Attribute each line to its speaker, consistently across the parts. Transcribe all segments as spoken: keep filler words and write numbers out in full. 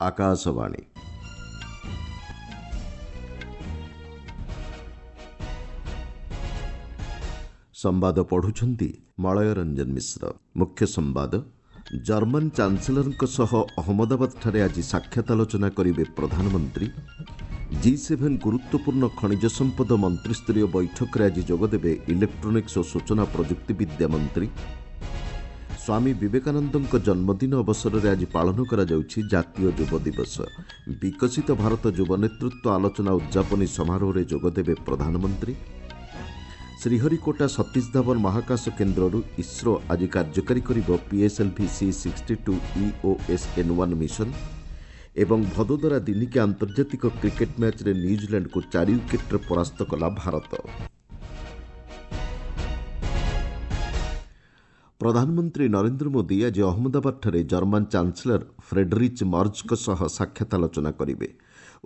Speaker 1: ଆକାଶବାଣୀ। ସମ୍ବାଦ ପଢୁଛନ୍ତି ମଳୟ ରଞ୍ଜନ ମିଶ୍ର। ମୁଖ୍ୟ ସମ୍ବାଦ। ଜର୍ମାନ ଚାନ୍ସେଲରଙ୍କ ସହ ଅହମ୍ମଦାବାଦଠାରେ ଆଜି ସାକ୍ଷାତ ଆଲୋଚନା କରିବେ ପ୍ରଧାନମନ୍ତ୍ରୀ। ଜି ସେଭେନ୍ ଗୁରୁତ୍ୱପୂର୍ଣ୍ଣ ଖଣିଜ ସମ୍ପଦ ମନ୍ତ୍ରିସ୍ତରୀୟ ବୈଠକରେ ଆଜି ଯୋଗଦେବେ ଇଲେକ୍ଟ୍ରୋନିକ୍ସ ଓ ସୂଚନା ପ୍ରଯୁକ୍ତିବିଦ୍ୟା ମନ୍ତ୍ରୀ। ସ୍ୱାମୀ ବିବେକାନନ୍ଦଙ୍କ ଜନ୍ମଦିନ ଅବସରରେ ଆଜି ପାଳନ କରାଯାଉଛି ଜାତୀୟ ଯୁବ ଦିବସ। ବିକଶିତ ଭାରତ ଯୁବ ନେତୃତ୍ୱ ଆଲୋଚନା ଉଦ୍ଯାପନୀ ସମାରୋହରେ ଯୋଗଦେବେ ପ୍ରଧାନମନ୍ତ୍ରୀ। ଶ୍ରୀହରିକୋଟା ସତୀଶ ଧାୱନ ମହାକାଶ କେନ୍ଦ୍ରରୁ ଇସ୍ରୋ ଆଜି କାର୍ଯ୍ୟକାରୀ କରିବ PSLV C sixty two EOS N one mission. ଏବଂ ଭଦୋଦରା ଦିନିକିଆ ଆନ୍ତର୍ଜାତିକ କ୍ରିକେଟ୍ ମ୍ୟାଚ୍ରେ ନ୍ୟୁଜିଲାଣ୍ଡକୁ ଚାରି ୱିକେଟ୍ରେ ପରାସ୍ତ କଲା ଭାରତ। ପ୍ରଧାନମନ୍ତ୍ରୀ ନରେନ୍ଦ୍ର ମୋଦି ଆଜି ଅହମ୍ମଦାବାଦଠାରେ ଜର୍ମାନ ଚାନ୍ସେଲର ଫ୍ରେଡରିଚ୍ ମର୍ଜଙ୍କ ସହ ସାକ୍ଷାତ ଆଲୋଚନା କରିବେ।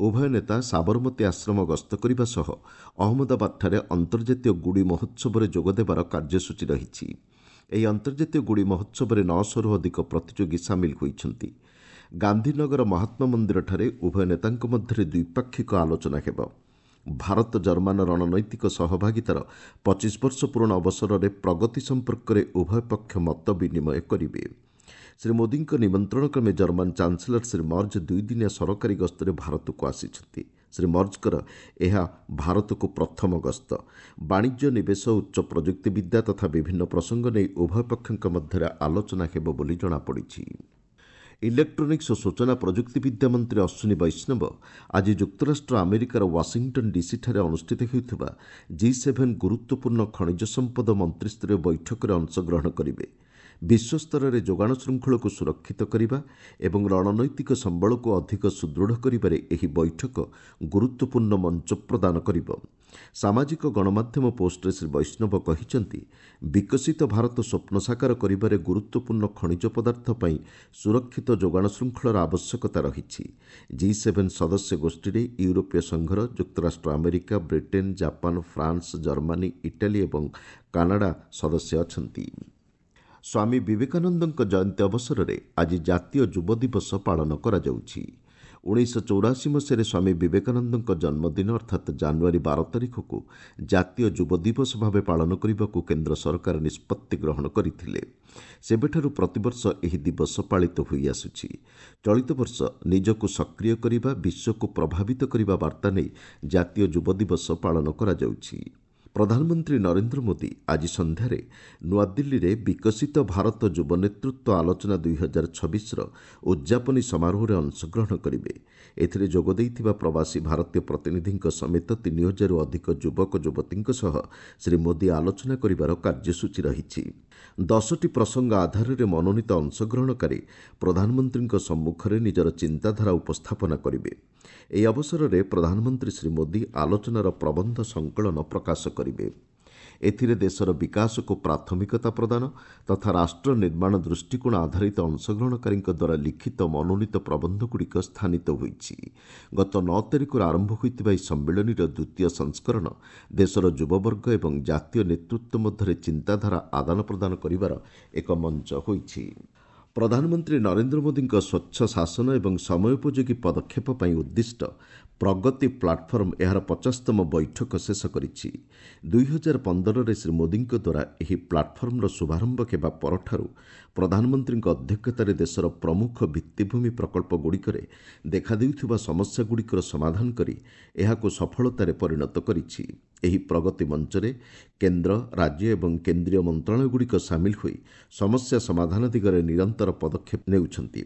Speaker 1: ଉଭୟ ନେତା ସାବରମତୀ ଆଶ୍ରମ ଗସ୍ତ କରିବା ସହ ଅହମ୍ମଦାବାଦଠାରେ ଅନ୍ତର୍ଜାତୀୟ ଗୁଡ଼ି ମହୋତ୍ସବରେ ଯୋଗଦେବାର କାର୍ଯ୍ୟସୂଚୀ ରହିଛି। ଏହି ଅନ୍ତର୍ଜାତୀୟ ଗୁଡ଼ି ମହୋତ୍ସବରେ ନଅଶହରୁ ଅଧିକ ପ୍ରତିଯୋଗୀ ସାମିଲ ହୋଇଛନ୍ତି। ଗାନ୍ଧୀନଗର ମହାତ୍ମା ମନ୍ଦିରଠାରେ ଉଭୟ ନେତାଙ୍କ ମଧ୍ୟରେ ଦ୍ୱିପାକ୍ଷିକ ଆଲୋଚନା ହେବ। ଭାରତ ଜର୍ମାନ ରଣନୈତିକ ସହଭାଗିତାର ପଚିଶ ବର୍ଷ ପୂରଣ ଅବସରରେ ପ୍ରଗତି ସମ୍ପର୍କରେ ଉଭୟ ପକ୍ଷ ମତ ବିନିମୟ କରିବେ। ଶ୍ରୀ ମୋଦିଙ୍କ ନିମନ୍ତ୍ରଣ କ୍ରମେ ଜର୍ମାନ ଚାନ୍ସେଲର ଶ୍ରୀ ମର୍ଜ ଦୁଇଦିନିଆ ସରକାରୀ ଗସ୍ତରେ ଭାରତକୁ ଆସିଛନ୍ତି। ଶ୍ରୀ ମର୍ଜଙ୍କର ଏହା ଭାରତକୁ ପ୍ରଥମ ଗସ୍ତ। ବାଣିଜ୍ୟ, ନିବେଶ, ଉଚ୍ଚ ପ୍ରଯୁକ୍ତିବିଦ୍ୟା ତଥା ବିଭିନ୍ନ ପ୍ରସଙ୍ଗ ନେଇ ଉଭୟ ପକ୍ଷଙ୍କ ମଧ୍ୟରେ ଆଲୋଚନା ହେବ ବୋଲି ଜଣାପଡ଼ିଛି। ଇଲେକ୍ଟ୍ରୋନିକ୍ସ ଓ ସୂଚନା ପ୍ରଯୁକ୍ତିବିଦ୍ୟା ମନ୍ତ୍ରୀ ଅଶ୍ୱିନୀ ବୈଷ୍ଣବ ଆଜି ଯୁକ୍ତରାଷ୍ଟ୍ର ଆମେରିକାର ୱାଶିଂଟନ୍ ଡିସିଠାରେ ଅନୁଷ୍ଠିତ ହେଉଥିବା ଜି ସେଭେନ୍ ଗୁରୁତ୍ୱପୂର୍ଣ୍ଣ ଖଣିଜ ସମ୍ପଦ ମନ୍ତ୍ରିସ୍ତରୀୟ ବୈଠକରେ ଅଂଶଗ୍ରହଣ କରିବେ। ବିଶ୍ୱସ୍ତରରେ ଯୋଗାଣ ଶୃଙ୍ଖଳକୁ ସୁରକ୍ଷିତ କରିବା ଏବଂ ରଣନୈତିକ ସମ୍ବଳକୁ ଅଧିକ ସୁଦୃଢ଼ କରିବାରେ ଏହି ବୈଠକ ଗୁରୁତ୍ୱପୂର୍ଣ୍ଣ ମଞ୍ଚ ପ୍ରଦାନ କରିବ। ସାମାଜିକ ଗଣମାଧ୍ୟମ ପୋଷ୍ଟରେ ଶ୍ରୀ ବୈଷ୍ଣବ କହିଛନ୍ତି, ବିକଶିତ ଭାରତ ସ୍ୱପ୍ନ ସାକାର କରିବାରେ ଗୁରୁତ୍ୱପୂର୍ଣ୍ଣ ଖଣିଜ ପଦାର୍ଥ ପାଇଁ ସୁରକ୍ଷିତ ଯୋଗାଣ ଶୃଙ୍ଖଳର ଆବଶ୍ୟକତା ରହିଛି। ଜି ସେଭେନ୍ ସଦସ୍ୟ ଗୋଷ୍ଠୀରେ ୟୁରୋପୀୟ ସଂଘର, ଯୁକ୍ତରାଷ୍ଟ୍ର America, Britain, Japan, France, Germany, Italy ଏବଂ କାନାଡା ସଦସ୍ୟ ଅଛନ୍ତି। ସ୍ୱାମୀ ବିବେକାନନ୍ଦଙ୍କ ଜୟନ୍ତୀ ଅବସରରେ ଆଜି ଜାତୀୟ ଯୁବ ଦିବସ ପାଳନ କରାଯାଉଛି। ଉଣେଇଶହ ଚଉରାଅଶୀ ମସିହାରେ ସ୍ୱାମୀ ବିବେକାନନ୍ଦଙ୍କ ଜନ୍ମଦିନ ଅର୍ଥାତ୍ ଜାନୁଆରୀ ବାର ତାରିଖକୁ ଜାତୀୟ ଯୁବ ଦିବସ ଭାବେ ପାଳନ କରିବାକୁ କେନ୍ଦ୍ର ସରକାର ନିଷ୍ପତ୍ତି ଗ୍ରହଣ କରିଥିଲେ। ସେବେଠାରୁ ପ୍ରତିବର୍ଷ ଏହି ଦିବସ ପାଳିତ ହୋଇଆସୁଛି। ଚଳିତ ବର୍ଷ ନିଜକୁ ସକ୍ରିୟ କରିବା, ବିଶ୍ୱକୁ ପ୍ରଭାବିତ କରିବା ବାର୍ତ୍ତା ନେଇ ଜାତୀୟ ଯୁବ ଦିବସ ପାଳନ କରାଯାଉଛି। ପ୍ରଧାନମନ୍ତ୍ରୀ ନରେନ୍ଦ୍ର ମୋଦି ଆଜି ସନ୍ଧ୍ୟାରେ ନୂଆଦିଲ୍ଲୀରେ ବିକଶିତ ଭାରତ ଯୁବ ନେତୃତ୍ୱ ଆଲୋଚନା ଦୁଇହଜାର ଛବିଶର ଉଦ୍ଯାପନୀ ସମାରୋହରେ ଅଂଶଗ୍ରହଣ କରିବେ। ଏଥିରେ ଯୋଗ ଦେଇଥିବା ପ୍ରବାସୀ ଭାରତୀୟ ପ୍ରତିନିଧିଙ୍କ ସମେତ ତିନି ହଜାରରୁ ଅଧିକ ଯୁବକ ଯୁବତୀଙ୍କ ସହ ଶ୍ରୀ ମୋଦି ଆଲୋଚନା କରିବାର କାର୍ଯ୍ୟସୂଚୀ ରହିଛି। ଦଶଟି ପ୍ରସଙ୍ଗ ଆଧାରରେ ମନୋନୀତ ଅଂଶଗ୍ରହଣକାରୀ ପ୍ରଧାନମନ୍ତ୍ରୀଙ୍କ ସମ୍ମୁଖରେ ନିଜର ଚିନ୍ତାଧାରା ଉପସ୍ଥାପନା କରିବେ। ଏହି ଅବସରରେ ପ୍ରଧାନମନ୍ତ୍ରୀ ଶ୍ରୀ ମୋଦି ଆଲୋଚନାର ପ୍ରବନ୍ଧ ସଂକଳନ ପ୍ରକାଶ କରିବେ। ଏଥିରେ ଦେଶର ବିକାଶକୁ ପ୍ରାଥମିକତା ପ୍ରଦାନ ତଥା ରାଷ୍ଟ୍ର ନିର୍ମାଣ ଦୃଷ୍ଟିକୋଣ ଆଧାରିତ ଅଂଶଗ୍ରହଣକାରୀଙ୍କ ଦ୍ୱାରା ଲିଖିତ ମନୋନୀତ ପ୍ରବନ୍ଧଗୁଡ଼ିକ ସ୍ଥାନିତ ହୋଇଛି। ଗତ ନଅ ତାରିଖରୁ ଆରମ୍ଭ ହୋଇଥିବା ଏହି ସମ୍ମିଳନୀର ଦ୍ୱିତୀୟ ସଂସ୍କରଣ ଦେଶର ଯୁବବର୍ଗ ଏବଂ ଜାତୀୟ ନେତୃତ୍ୱ ମଧ୍ୟରେ ଚିନ୍ତାଧାରା ଆଦାନ ପ୍ରଦାନ କରିବାର ଏକ ମଞ୍ଚ ହୋଇଛି। ପ୍ରଧାନମନ୍ତ୍ରୀ ନରେନ୍ଦ୍ର ମୋଦିଙ୍କ ସ୍ୱଚ୍ଛ ଶାସନ ଏବଂ ସମୟୋପଯୋଗୀ ପଦକ୍ଷେପ ପାଇଁ ଉଦ୍ଦିଷ୍ଟ ପ୍ରଗତି ପ୍ଲାଟଫର୍ମ ଏହାର ପଚାଶତମ ବୈଠକ ଶେଷ କରିଛି। ଦୁଇହଜାର ପନ୍ଦରରେ ଶ୍ରୀ ମୋଦିଙ୍କ ଦ୍ୱାରା ଏହି ପ୍ଲାଟଫର୍ମର ଶୁଭାରମ୍ଭ ହେବା ପରଠାରୁ ପ୍ରଧାନମନ୍ତ୍ରୀଙ୍କ ଅଧ୍ୟକ୍ଷତାରେ ଦେଶର ପ୍ରମୁଖ ଭିତ୍ତିଭୂମି ପ୍ରକଳ୍ପଗୁଡ଼ିକରେ ଦେଖାଦେଉଥିବା ସମସ୍ୟାଗୁଡ଼ିକର ସମାଧାନ କରି ଏହାକୁ ସଫଳତାରେ ପରିଣତ କରିଛି। ଏହି ପ୍ରଗତି ମଞ୍ଚରେ କେନ୍ଦ୍ର, ରାଜ୍ୟ ଏବଂ କେନ୍ଦ୍ରୀୟ ମନ୍ତ୍ରଣାଳୟଗୁଡ଼ିକ ସାମିଲ ହୋଇ ସମସ୍ୟା ସମାଧାନ ଦିଗରେ ନିରନ୍ତର ପଦକ୍ଷେପ ନେଉଛନ୍ତି।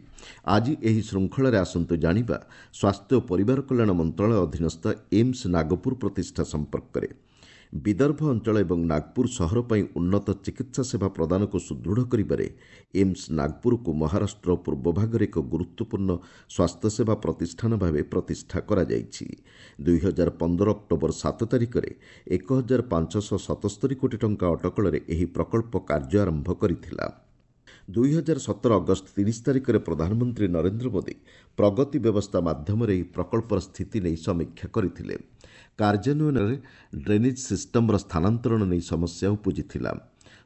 Speaker 1: ଆଜି ଏହି ଶୃଙ୍ଖଳାରେ ଆସନ୍ତୁ ଜାଣିବା ସ୍ୱାସ୍ଥ୍ୟ ଓ ପରିବାର କଲ୍ୟାଣ ମନ୍ତ୍ରଣାଳୟ ଅଧୀନସ୍ଥ ଏମ୍ସ ନାଗପୁର ପ୍ରତିଷ୍ଠା ସମ୍ପର୍କରେ। ବିଦର୍ଭ ଅଞ୍ଚଳ ଏବଂ ନାଗପୁର ସହର ପାଇଁ ଉନ୍ନତ ଚିକିତ୍ସା ସେବା ପ୍ରଦାନକୁ ସୁଦୃଢ଼ କରିବାରେ ଏମ୍ସ ନାଗପୁରକୁ ମହାରାଷ୍ଟ୍ର ପୂର୍ବ ଭାଗରେ ଏକ ଗୁରୁତ୍ୱପୂର୍ଣ୍ଣ ସ୍ୱାସ୍ଥ୍ୟସେବା ପ୍ରତିଷ୍ଠାନ ଭାବେ ପ୍ରତିଷ୍ଠା କରାଯାଇଛି। ଦୁଇହଜାର ପନ୍ଦର ଅକ୍ଟୋବର ସାତ ତାରିଖରେ ଏକ ହଜାର ପାଞ୍ଚଶହ ସତସ୍ତରୀ କୋଟି ଟଙ୍କା ଅଟକଳରେ ଏହି ପ୍ରକଳ୍ପ କାର୍ଯ୍ୟ ଆରମ୍ଭ କରିଥିଲା। ଦୁଇହଜାର ସତର ଅଗଷ୍ଟ ତିରିଶ ତାରିଖରେ ପ୍ରଧାନମନ୍ତ୍ରୀ ନରେନ୍ଦ୍ର ମୋଦି ପ୍ରଗତି ବ୍ୟବସ୍ଥା ମାଧ୍ୟମରେ ଏହି ପ୍ରକଳ୍ପର ସ୍ଥିତି ନେଇ ସମୀକ୍ଷା କରିଥିଲେ। କାର୍ଯ୍ୟାନ୍ୱୟନରେ ଡ୍ରେନେଜ୍ ସିଷ୍ଟମର ସ୍ଥାନାନ୍ତରଣ ନେଇ ସମସ୍ୟା ଉପୁଜିଥିଲା।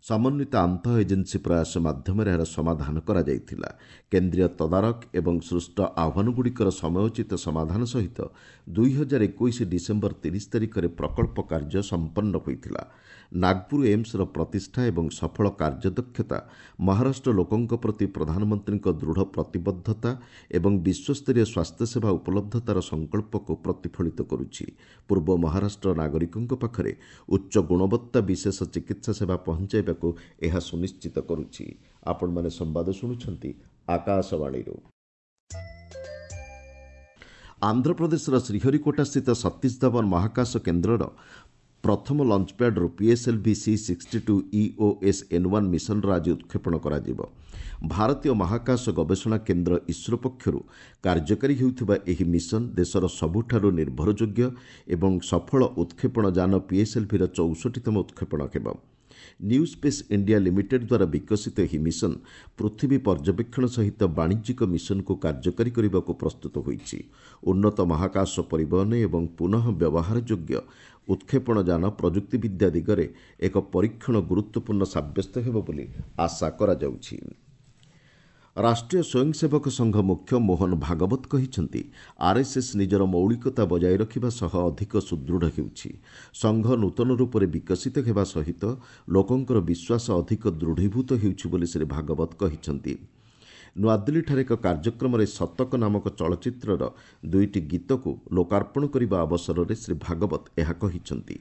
Speaker 1: ସମନ୍ୱିତ ଆନ୍ତଃ ଏଜେନ୍ସି ପ୍ରୟାସ ମାଧ୍ୟମରେ ଏହାର ସମାଧାନ କରାଯାଇଥିଲା। କେନ୍ଦ୍ରୀୟ ତଦାରଖ ଏବଂ ସୃଷ୍ଟ ଆହ୍ୱାନଗୁଡ଼ିକର ସମୟୋଚିତ ସମାଧାନ ସହିତ ଦୁଇ ହଜାର ଏକୋଇଶ ଡିସେମ୍ବର ତିରିଶ ତାରିଖରେ ପ୍ରକଳ୍ପ କାର୍ଯ୍ୟ ସମ୍ପନ୍ନ ହୋଇଥିଲା। ନାଗପୁର ଏମ୍ସର ପ୍ରତିଷ୍ଠା ଏବଂ ସଫଳ କାର୍ଯ୍ୟଦକ୍ଷତା ମହାରାଷ୍ଟ୍ର ଲୋକଙ୍କ ପ୍ରତି ପ୍ରଧାନମନ୍ତ୍ରୀଙ୍କ ଦୃଢ଼ ପ୍ରତିବଦ୍ଧତା ଏବଂ ବିଶ୍ୱସ୍ତରୀୟ ସ୍ୱାସ୍ଥ୍ୟସେବା ଉପଲବ୍ଧତାର ସଂକଳ୍ପକୁ ପ୍ରତିଫଳିତ କରୁଛି। ପୂର୍ବ ମହାରାଷ୍ଟ୍ର ନାଗରିକଙ୍କ ପାଖରେ ଉଚ୍ଚ ଗୁଣବତ୍ତା ବିଶେଷ ଚିକିତ୍ସା ସେବା ପହଞ୍ଚାଇବାକୁ ଏହା ସୁନିଶ୍ଚିତ କରୁଛି। ଆପଣମାନେ ସମ୍ବାଦ ଶୁଣୁଛନ୍ତି ଆକାଶବାଣୀରୁ। ଆନ୍ଧ୍ରପ୍ରଦେଶର ଶ୍ରୀହରିକୋଟାସ୍ଥିତ ସତୀଶ ଧାୱନ ମହାକାଶ କେନ୍ଦ୍ରର ପ୍ରଥମ ଲଞ୍ଚପ୍ୟାଡ୍ରୁ PSLV C sixty two EOS N one ମିଶନର ଆଜି ଉତ୍କ୍ଷେପଣ କରାଯିବ। ଭାରତୀୟ ମହାକାଶ ଗବେଷଣା କେନ୍ଦ୍ର ଇସ୍ରୋ ପକ୍ଷରୁ କାର୍ଯ୍ୟକାରୀ ହେଉଥିବା ଏହି ମିଶନ ଦେଶର ସବୁଠାରୁ ନିର୍ଭରଯୋଗ୍ୟ ଏବଂ ସଫଳ ଉତ୍କ୍ଷେପଣ ଯାନ ପିଏସ୍ଏଲ୍ଭିର ଚଉଷଠିତମ ଉତ୍କ୍ଷେପଣ ହେବ। ନ୍ୟୁ ସ୍ପେସ୍ ଇଣ୍ଡିଆ ଲିମିଟେଡ୍ ଦ୍ୱାରା ବିକଶିତ ଏହି ମିଶନ ପୃଥିବୀ ପର୍ଯ୍ୟବେକ୍ଷଣ ସହିତ ବାଣିଜ୍ୟିକ ମିଶନକୁ କାର୍ଯ୍ୟକାରୀ କରିବାକୁ ପ୍ରସ୍ତୁତ ହୋଇଛି। ଉନ୍ନତ ମହାକାଶ ପରିବହନ ଏବଂ ପୁନଃ ବ୍ୟବହାରଯୋଗ୍ୟ ଉତ୍କ୍ଷେପଣ ଯାନ ପ୍ରଯୁକ୍ତିବିଦ୍ୟା ଦିଗରେ ଏକ ପରୀକ୍ଷଣ ଗୁରୁତ୍ୱପୂର୍ଣ୍ଣ ସାବ୍ୟସ୍ତ ହେବ ବୋଲି ଆଶା କରାଯାଉଛି। ରାଷ୍ଟ୍ରୀୟ ସ୍ୱୟଂସେବକ ସଂଘ ମୁଖ୍ୟ ମୋହନ ଭାଗବତ କହିଛନ୍ତି, ଆର୍ଏସ୍ଏସ୍ ନିଜର ମୌଳିକତା ବଜାୟ ରଖିବା ସହ ଅଧିକ ସୁଦୃଢ଼ ହେଉଛି। ସଂଘ ନୂତନ ରୂପରେ ବିକଶିତ ହେବା ସହିତ ଲୋକଙ୍କର ବିଶ୍ୱାସ ଅଧିକ ଦୃଢ଼ୀଭୂତ ହେଉଛି ବୋଲି ଶ୍ରୀ ଭାଗବତ କହିଛନ୍ତି। ନୂଆଦିଲ୍ଲୀଠାରେ ଏକ କାର୍ଯ୍ୟକ୍ରମରେ ଶତକ ନାମକ ଚଳଚ୍ଚିତ୍ରର ଦୁଇଟି ଗୀତକୁ ଲୋକାର୍ପଣ କରିବା ଅବସରରେ ଶ୍ରୀ ଭାଗବତ ଏହା କହିଛନ୍ତି।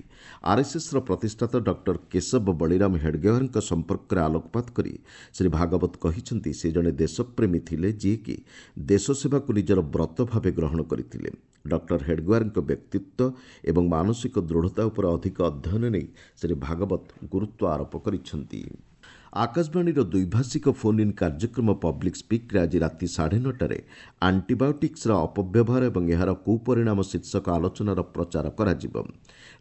Speaker 1: ଆର୍ଏସ୍ଏସ୍ର ପ୍ରତିଷ୍ଠାତା ଡକ୍ଟର କେଶବ ବଳିରାମ ହେଡଗେୱାରଙ୍କ ସମ୍ପର୍କରେ ଆଲୋକପାତ କରି ଶ୍ରୀ ଭାଗବତ କହିଛନ୍ତି, ସେ ଜଣେ ଦେଶପ୍ରେମୀ ଥିଲେ, ଯିଏକି ଦେଶସେବାକୁ ନିଜର ବ୍ରତ ଭାବେ ଗ୍ରହଣ କରିଥିଲେ। ଡକ୍ଟର ହେଡଗେୱାରଙ୍କ ବ୍ୟକ୍ତିତ୍ୱ ଏବଂ ମାନସିକ ଦୃଢ଼ତା ଉପରେ ଅଧିକ ଅଧ୍ୟୟନ ନେଇ ଶ୍ରୀ ଭାଗବତ ଗୁରୁତ୍ୱ ଆରୋପ କରିଛନ୍ତି। ଆକାଶବାଣୀର ଦ୍ୱିଭାଷିକ ଫୋନ୍ ଇନ୍ କାର୍ଯ୍ୟକ୍ରମ ପବ୍ଲିକ୍ ସ୍ପିକ୍ରେ ଆଜି ରାତି ସାଢ଼େ ନଅଟାରେ ଆଣ୍ଟିବାୟୋଟିକ୍ସର ଅପବ୍ୟବହାର ଏବଂ ଏହାର କୁପରିଣାମ ଶୀର୍ଷକ ଆଲୋଚନାର ପ୍ରଚାର କରାଯିବ।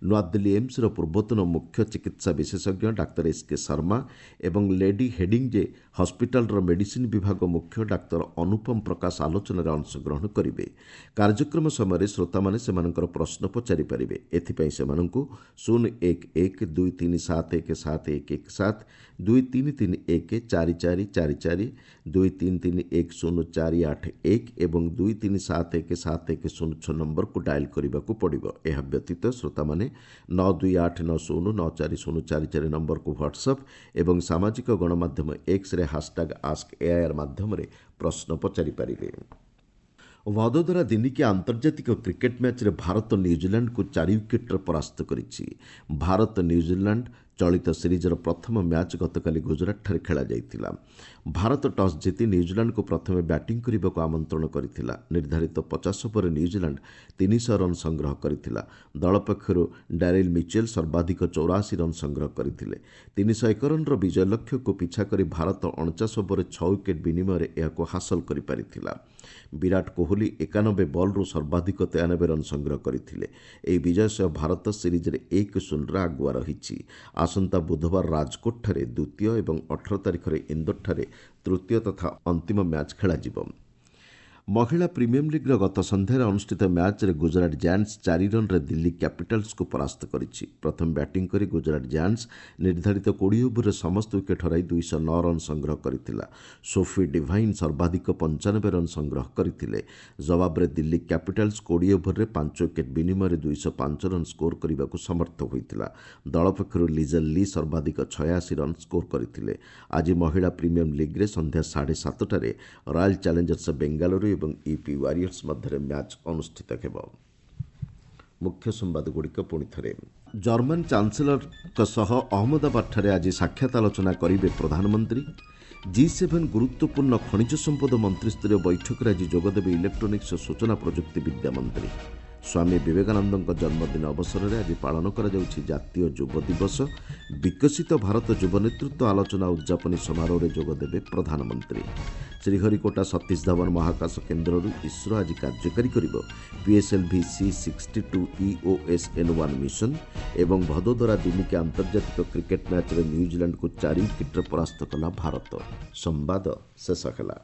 Speaker 1: ନୂଆଦିଲ୍ଲୀ ଏମ୍ସର ପୂର୍ବତନ ମୁଖ୍ୟ ଚିକିତ୍ସା ବିଶେଷଜ୍ଞ ଡାକ୍ତର ଏସ୍ କେ ଶର୍ମା ଏବଂ ଲେଡି ହେଡିଞ୍ଜେ ହସ୍ପିଟାଲର ମେଡିସିନ୍ ବିଭାଗ ମୁଖ୍ୟ ଡାକ୍ତର ଅନୁପମ ପ୍ରକାଶ ଆଲୋଚନାରେ ଅଂଶଗ୍ରହଣ କରିବେ। କାର୍ଯ୍ୟକ୍ରମ ସମୟରେ ଶ୍ରୋତାମାନେ ସେମାନଙ୍କର ପ୍ରଶ୍ନ ପଚାରିପାରିବେ। ଏଥିପାଇଁ ସେମାନଙ୍କୁ ଶୂନ ଏକ ଏକ ଦୁଇ ତିନି ସାତ ଏକ ସାତ ଏକ ଏକ ସାତ, ଦୁଇ ତିନି ତିନି ଏକ ଚାରି ଚାରି ଚାରି ଚାରି, ଦୁଇ ତିନି ତିନି ଏକ ଶୂନ ଚାରି ଆଠ ଏକ ଏବଂ ଦୁଇ ତିନି ସାତ ଏକ ସାତ ଏକ ଶୂନ ଛଅ ନମ୍ବରକୁ ଡାଏଲ୍ କରିବାକୁ ପଡ଼ିବ। ଏହା ବ୍ୟତୀତ ଶ୍ରୋତାମାନେ ନଅ ଦୁଇ ଆଠ ନଅ ଶୂନ ନଅ ଚାରି ଶୂନ ଚାରି ଚାରି ନମ୍ବରକୁ ହ୍ୱାଟ୍ସଆପ୍ ଏବଂ ସାମାଜିକ ଗଣମାଧ୍ୟମ ଏକ୍ସରେ ହାସଟ୍ୟାଗ୍ ଆସ୍କ ଏଆଇଆର୍ ମାଧ୍ୟମରେ ପ୍ରଶ୍ନ ପଚାରିପାରିବେ। ଭଦୋଦରା ଦିନିକିଆ ଆନ୍ତର୍ଜାତିକ କ୍ରିକେଟ୍ ମ୍ୟାଚ୍ରେ ଭାରତ ନ୍ୟୁଜିଲାଣ୍ଡକୁ ଚାରି ୱିକେଟ୍ରେ ପରାସ୍ତ କରିଛି। ଭାରତ ନ୍ୟୁଜିଲାଣ୍ଡ ଚଳିତ ସିରିଜ୍ର ପ୍ରଥମ ମ୍ୟାଚ୍ ଗତକାଲି ଗୁଜରାଟଠାରେ ଖେଳାଯାଇଥିଲା। ଭାରତ ଟସ୍ ଜିତି ନ୍ୟୁଜିଲାଣ୍ଡକୁ ପ୍ରଥମେ ବ୍ୟାଟିଂ କରିବାକୁ ଆମନ୍ତ୍ରଣ କରିଥିଲା। ନିର୍ଦ୍ଧାରିତ ପଚାଶ ଓଭରରେ ନ୍ୟୁଜିଲାଣ୍ଡ ତିନିଶହ ରନ୍ ସଂଗ୍ରହ କରିଥିଲା। ଦଳ ପକ୍ଷରୁ ଡାରିଲ୍ ମିଚେଲ୍ ସର୍ବାଧିକ ଚଉରାଅଶୀ ରନ୍ ସଂଗ୍ରହ କରିଥିଲେ। ତିନିଶହ ଏକ ରନ୍ର ବିଜୟ ଲକ୍ଷ୍ୟକୁ ପିଛା କରି ଭାରତ ଅଣଚାଶ ଓଭରରେ ଛଅ ୱିକେଟ୍ ବିନିମୟରେ ଏହାକୁ ହାସଲ କରିପାରିଥିଲା। ବିରାଟ କୋହଲି ଏକାନବେ ବଲ୍ରୁ ସର୍ବାଧିକ ତେୟାନବେ ରନ୍ ସଂଗ୍ରହ କରିଥିଲେ। ଏହି ବିଜୟ ସହ ଭାରତ ସିରିଜ୍ରେ ଏକ ଶୂନରେ ଆଗୁଆ ରହିଛି। ଆସନ୍ତା ବୁଧବାର ରାଜକୋଟଠାରେ ଦ୍ୱିତୀୟ ଏବଂ ଅଠର ତାରିଖରେ ଇନ୍ଦୋରଠାରେ ତୃତୀୟ ତଥା ଅନ୍ତିମ ମ୍ୟାଚ୍ ଖେଳାଯିବ। ମହିଳା ପ୍ରିମିୟମ ଲିଗ୍ର ଗତ ସନ୍ଧ୍ୟାରେ ଅନୁଷ୍ଠିତ ମ୍ୟାଚ୍ରେ ଗୁଜରାଟ ଜାୟାଣ୍ଟସ୍ ଚାରି ରନ୍ରେ ଦିଲ୍ଲୀ କ୍ୟାପିଟାଲ୍ସକୁ ପରାସ୍ତ କରିଛି। ପ୍ରଥମେ ବ୍ୟାଟିଂ କରି ଗୁଜରାଟ ଜାୟାଣ୍ଟସ୍ ନିର୍ଦ୍ଧାରିତ କୋଡ଼ିଏ ଓଭରରେ ସମସ୍ତ ୱିକେଟ୍ ହରାଇ ଦୁଇଶହ ନଅ ରନ୍ ସଂଗ୍ରହ କରିଥିଲା। ସୋଫି ଡିଭାଇନ୍ ସର୍ବାଧିକ ପଞ୍ଚାନବେ ରନ୍ ସଂଗ୍ରହ କରିଥିଲେ। ଜବାବରେ ଦିଲ୍ଲୀ କ୍ୟାପିଟାଲ୍ସ କୋଡ଼ିଏ ଓଭରରେ ପାଞ୍ଚ ୱିକେଟ୍ ବିନିମୟରେ ଦୁଇଶହ ପାଞ୍ଚ ରନ୍ ସ୍କୋର କରିବାକୁ ସମର୍ଥ ହୋଇଥିଲା। ଦଳ ପକ୍ଷରୁ ଲିଜେଲ୍ ଲି ସର୍ବାଧିକ ଛୟାଅଶୀ ରନ୍ ସ୍କୋର କରିଥିଲେ। ଆଜି ମହିଳା ପ୍ରିମିୟମ ଲିଗ୍ରେ ସନ୍ଧ୍ୟା ସାଢ଼େ ସାତଟାରେ ରୟାଲ ଚ୍ୟାଲେଞ୍ଜର୍ସ ବେଙ୍ଗାଲୁରୁ ଏବଂ ୟୁପି ୱାରିୟର୍ସ ମଧ୍ୟରେ ମ୍ୟାଚ୍ ଅନୁଷ୍ଠିତ ହେବ। ମୁଖ୍ୟ ସମ୍ବାଦଗୁଡ଼ିକ ପୁଣି ଥରେ। ଜର୍ମାନ ଚାନ୍ସେଲରଙ୍କ ସହ ଅହମ୍ମଦାବାଦଠାରେ ଆଜି ସାକ୍ଷାତ ଆଲୋଚନା କରିବେ ପ୍ରଧାନମନ୍ତ୍ରୀ। ଜି ସେଭେନ୍ ଗୁରୁତ୍ୱପୂର୍ଣ୍ଣ ଖଣିଜ ସମ୍ପଦ ମନ୍ତ୍ରିସ୍ତରୀୟ ବୈଠକରେ ଆଜି ଯୋଗଦେବେ ଇଲେକ୍ଟ୍ରୋନିକ୍ସ ଓ ସୂଚନା ପ୍ରଯୁକ୍ତିବିଦ୍ୟା ମନ୍ତ୍ରୀ। ସ୍ୱାମୀ ବିବେକାନନ୍ଦଙ୍କ ଜନ୍ମଦିନ ଅବସରରେ ଆଜି ପାଳନ କରାଯାଉଛି ଜାତୀୟ ଯୁବ ଦିବସ। ବିକଶିତ ଭାରତ ଯୁବ ନେତୃତ୍ୱ ଆଲୋଚନା ଉଦ୍ଯାପନୀ ସମାରୋହରେ ଯୋଗଦେବେ ପ୍ରଧାନମନ୍ତ୍ରୀ। ଶ୍ରୀହରିକୋଟା ସତୀଶ ଧାୱନ ମହାକାଶ କେନ୍ଦ୍ରରୁ ଇସ୍ରୋ ଆଜି କାର୍ଯ୍ୟକାରୀ କରିବ PSLV C sixty two EOS N one mission ଏବଂ ଭଦୋଦରା ଦିନିକିଆ ଆନ୍ତର୍ଜାତିକ କ୍ରିକେଟ୍ ମ୍ୟାଚ୍ରେ ନ୍ୟୁଜିଲାଣ୍ଡକୁ ଚାରି ୱିକେଟ୍ରେ ପରାସ୍ତ କଲା ଭାରତ। ସମ୍ବାଦ ଶେଷ ହେଲା।